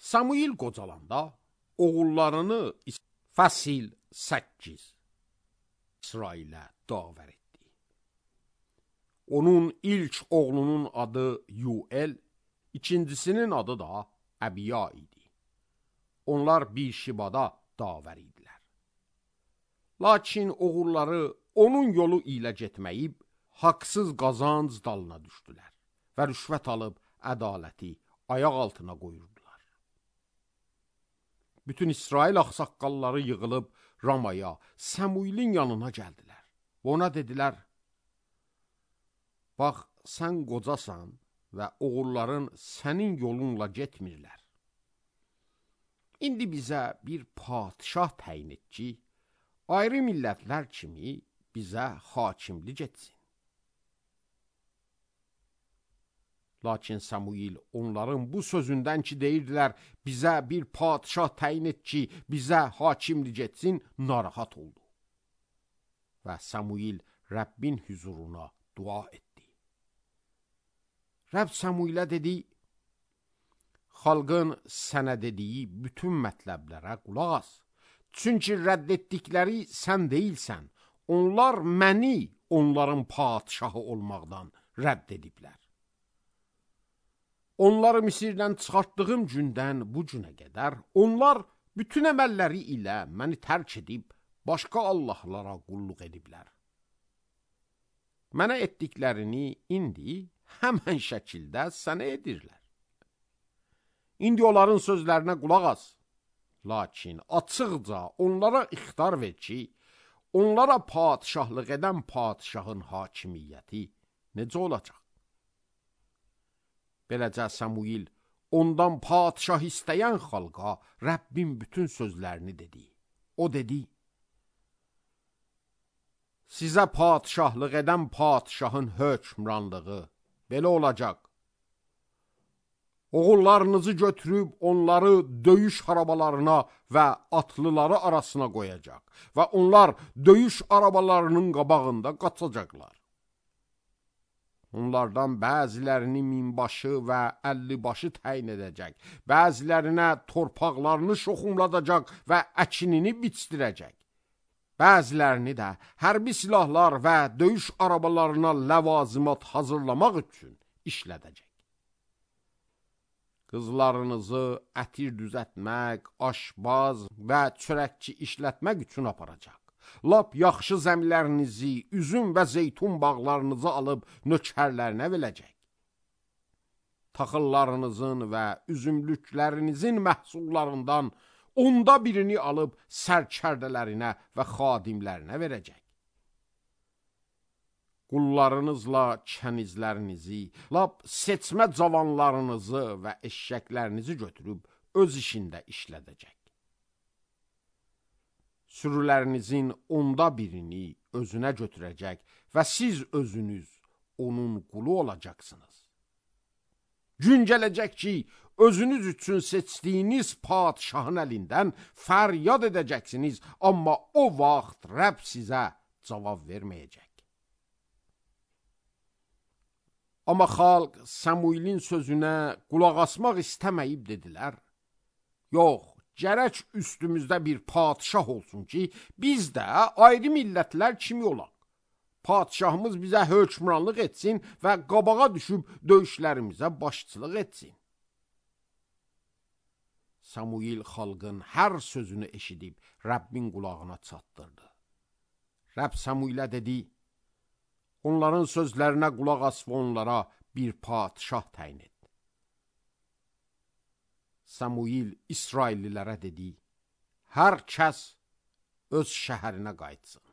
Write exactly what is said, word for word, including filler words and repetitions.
Samuil qocalanda oğullarını Fəsil səkkiz İsrailə davər etdi. Onun ilk oğlunun adı Yuel, ikincisinin adı da Əbiya idi. Onlar bir şibada davər idilər. Lakin oğulları onun yolu ilə getməyib, haqsız qazanc dalına düşdülər və rüşvət alıb ədaləti ayaq altına qoyurdular. Bütün İsrail ağsaqqalları yığılıb Ramaya, Səmuilin yanına gəldilər. Ona dedilər, bax, sən qocasan və oğulların sənin yolunla getmirlər. İndi bizə bir padişah təyin et ki, ayrı millətlər kimi bizə hakimlik etsin. Lakin Samuil onların bu sözündən ki deyirdilər, bizə bir padişah təyin et ki, bizə hakimlik etsin, narahat oldu. Və Samuil Rəbbin huzuruna dua etdi. Rəbb Samuilə dedi, xalqın sənə dediyi bütün mətləblərə qulaq as. Çünki rədd etdikləri sən deyilsən, onlar məni onların padişahı olmaqdan rədd ediblər. Onları Misirdən çıxartdığım gündən bu günə qədər, onlar bütün əməlləri ilə məni tərk edib, başqa Allahlara qulluq ediblər. Mənə etdiklərini indi həmən şəkildə sənə edirlər. İndi onların sözlərinə qulaq as. Lakin açıqca onlara ixtar ver ki, onlara padişahlıq edən padişahın hakimiyyəti necə olacaq? Beləcə Samuil ondan padişah istəyən xalqa Rəbbin bütün sözlərini dedi. O dedi, sizə padişahlıq edən padişahın hökmranlığı belə olacaq. Oğullarınızı götürüb onları döyüş arabalarına və atlıları arasına qoyacaq və onlar döyüş arabalarının qabağında qaçacaqlar. Onlardan bəzilərini minbaşı və əllibaşı təyin edəcək, bəzilərinə torpaqlarını şoxumladacaq və əkinini biçdirəcək. Bəzilərini də hərbi silahlar və döyüş arabalarına ləvazimat hazırlamaq üçün işlədəcək. Qızlarınızı ətir düzətmək, aşbaz və çörəkçi işlətmək üçün aparacaq. Lap yaxşı zəmilərinizi, üzüm və zeytun bağlarınızı alıb nökərlərinə verəcək. Taxıllarınızın və üzümlüklərinizin məhsullarından onda birini alıb sərkərdələrinə və xadimlərinə verəcək. Qullarınızla kənizlərinizi, lap seçmə cavanlarınızı və eşşəklərinizi götürüb öz işində işlədəcək. Sürülərinizin onda birini özünə götürəcək və siz özünüz onun qulu olacaqsınız. Gün gələcək ki, özünüz üçün seçdiyiniz padişahın əlindən fəryad edəcəksiniz, amma o vaxt Rəbb sizə cavab verməyəcək. Amma xalq Samuilin sözünə qulaq asmaq istəməyib dedilər, yox, gərək üstümüzdə bir padişah olsun ki, biz də ayrı millətlər kimi olaq. Padişahımız bizə hökmranlıq etsin və qabağa düşüb döyüşlərimizə başçılıq etsin. Samuil xalqın hər sözünü eşidib Rəbbin qulağına çatdırdı. Rəbb Samuilə dedi, onların sözlərinə qulaq as və onlara bir padişah təyin et. Samuil İsraillilərə dedi, hər kəs öz şəhərinə qayıtsın.